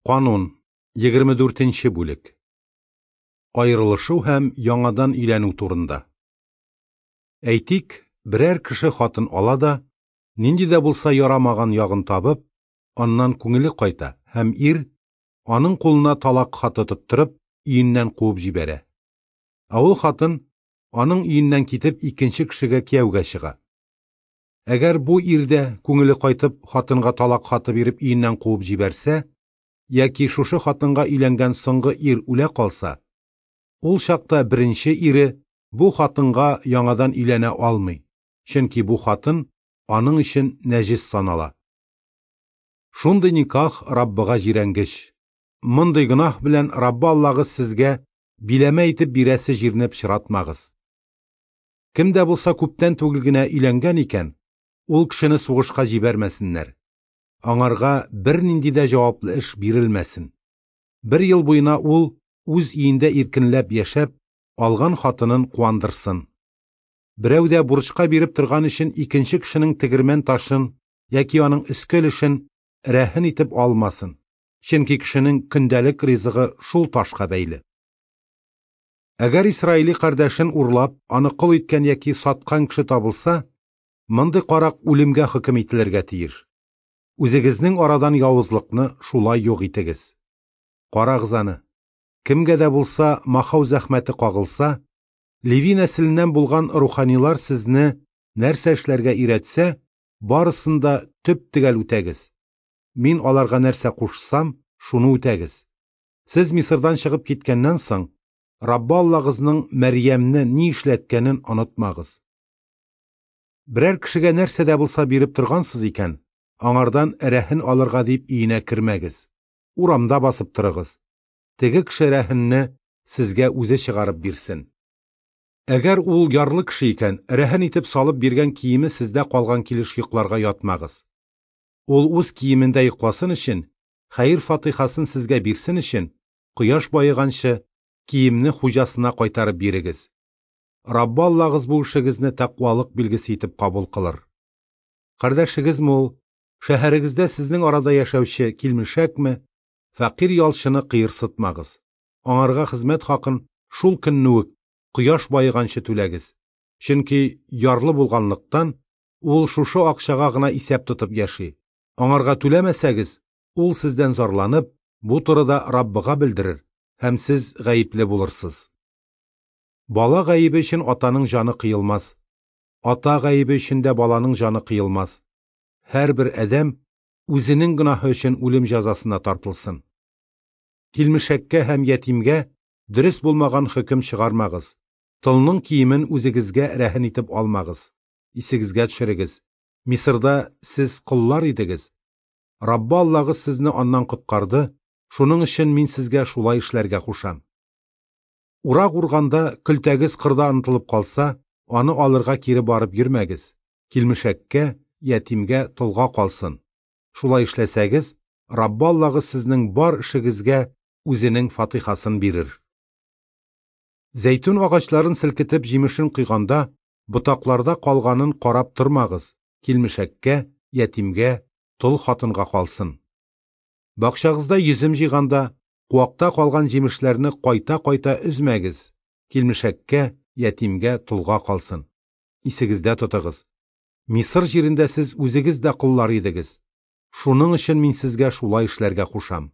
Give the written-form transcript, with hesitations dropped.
Канун, 24 нче бүлек. Аерылышу һәм яңадан өйләнү турында. Әйтик, берәр кеше хатын ала да, нинди дә булса ярамаган ягын табып, аннан күңеле кайта һәм ир, аның кулына талак хаты тоттырып, өеннән куып җибәрә. Ә ул хатын, аның өеннән китеп, икенче кешегә кияүгә чыга. Әгәр бу ир дә, күңеле кайтып, хатынга талак хаты биреп өеннән куып җибәрсә, яки шушы хатынга өйләнгән соңгы ир үлә калса, ул чакта беренче ире бу хатынга яңадан өйләнә алмый, чөнки бу хатын аның өчен нәҗес санала. Шундый никах Раббыга җирәнгеч. Мондый гөнаһ белән Раббы Аллагыз сезгә биләмә итеп бирәсе җирне пычратмагыз. Кем дә булса күптән түгел генә өйләнгән икән, ул кешене сугышка җибәрмәсеннәр. Аңарга бернинди дә җаваплы эш бирелмәсен. Бер ел буена ул үз өендә иркенләп яшәп, алган хатынын куандырсын. Берәү дә бурычка биреп торган өчен икенче кешенең тегермән ташын яки аның өске өлешен рәһен итеп алмасын, чөнки кешенең көндәлек ризыгы шул ташка бәйле. Әгәр исраили кардәшен урлап, аны кол иткән яки саткан кеше табылса, мондый карак үлемгә хөкем ителергә тиеш. Үзегезнең арадан явызлыкны шулай юк итегез. Карагыз аны, кемгә дә булса махау зәхмәте кагылса, Леви нәселеннән булган руханилар сезне нәрсә эшләргә өйрәтсә, барысын да төп-төгәл үтәгез. Мин аларга нәрсә кушсам, шуны үтәгез. Сез Мисырдан чыгып киткәннән соң, Раббы Аллагызның Мәрьямне ни эшләткәнен онытмагыз. Берәр кешегә нәрсә дә булса биреп торгансыз икән, аңардан рәһен алырга дип өенә кермәгез. Урамда басып торыгыз. Теге кеше рәһенне сезгә үзе чыгарып бирсен. Әгәр ул ярлы кеше икән, рәһен итеп салып биргән киеме сездә калган килеш йокларга ятмагыз. Ул үз киемендә йокласын өчен, хәер-фатыйхасын сезгә бирсен өчен, кояш баеганчы, киемне хуҗасына кайтарып бирегез. Раббы Аллагыз бу эшегезне тәкъвалык билгесе итеп кабул кылыр. Кардәшегезме ул, шәһәрегездә сезнең арада яшәүче килмешәкме, фәкыйрь ялчыны кыерсытмагыз. Аңарга хезмәт хакын шул көнне үк, кояш баеганчы түләгез. Чөнки ярлы булганлыктан, ул шушы акчага гына исәп тотып яши. Аңарга түләмәсәгез, ул сездән зарланып, бу турыда Раббыга белдерер, һәм сез гаепле булырсыз. Бала гаебе өчен атаның җаны кыелмас. Ата гаебе өчен дә баланың җаны кыелмас. Һәрбер адәм үзенең гөнаһы өчен үлем җәзасына тартылсын. Килмешәккә һәм ятимгә дөрес булмаган хөкем чыгармагыз. Толның киемен үзегезгә рәһен итеп алмагыз. Исегезгә төшерегез, Мисырда сез коллар идегез. Раббы Аллагыз сезне аннан коткарды, шуның өчен мин сезгә шулай эшләргә кушам. Урак урганда көлтәгез кырда онытылып калса, аны алырга кире барып йөрмәгез, килмешәккә, ятимгә, толга калсын. Шулай эшләсәгез, Раббы Аллагыз сезнең бар эшегезгә үзенең фатыйхасын бирер. Зәйтүн агачларын селкетеп җимешен койганда, ботакларда калганын карап тормагыз, килмешәккә, ятимгә, тол хатынга калсын. Бакчагызда йөзем җыйганда, куакта калган җимешләрне кайта-кайта өзмәгез, килмешәккә, ятимгә, толга калсын. Исегездә тотыгыз, Мисыр җирендә сез үзегез дә коллар идегез. Шуның өчен мин сезгә шулай эшләргә кушам.